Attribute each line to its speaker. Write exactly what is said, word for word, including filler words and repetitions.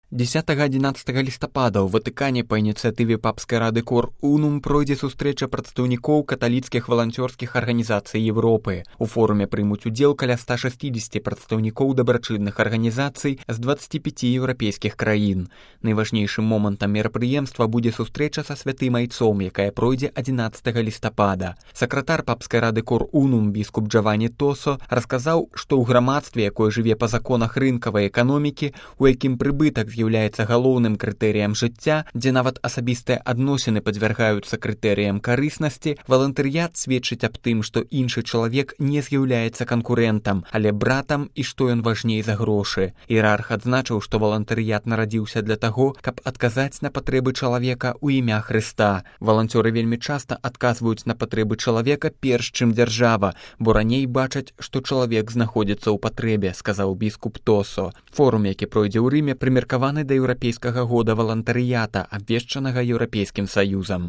Speaker 1: дзесятага-адзінаццатага лістапада ў Ватыкане па ініцыятыве папскай рады Кор Унум пройдзе сустрэча прадстаўнікоў каталіцкіх валанцёрскіх арганізацый Европы. У форуме прымуць удзел каля ста шэсцідзесяці прадстаўнікоў дабрачынных арганізацый з дваццаці пяці еўрапейскіх краін. Найважнейшым момантам мерапрыемства будзе сустрэча са святым айцом, якая пройдзе адзінаццатага лістапада. Сакратар папскай рады Кор Унум біскуп Джавані Тосо расказаў, што ў грамадстве, якое жыве па законах рынкавай эканомікі, у якім прыбытак з'яўляецца галоўным крытэрыям жыцця, дзе нават асабістыя адносіны падвяргаюцца крытэрыям карыснасці, валантарыят сведчыць аб тым, што іншы чалавек не з'яўляецца канкурэнтам, але братам і што ён важней за грошы. Іерарх адзначыў, што валантарыят нарадзіўся для таго, каб адказаць на патрэбы чалавека ў імя Хрыста. Валанцёры вельмі часта адказваюць на патрэбы чалавека перш, чым дзяржава, бо раней бачаць, што чалавек знаходзіцца ў патрэбе, сказаў біскуп Тосо. Форум, які пройдзе ў Рыме, прымеркаваны да еўрапейскага года валантарыята, абвешчанага Еўрапейскім саюзам.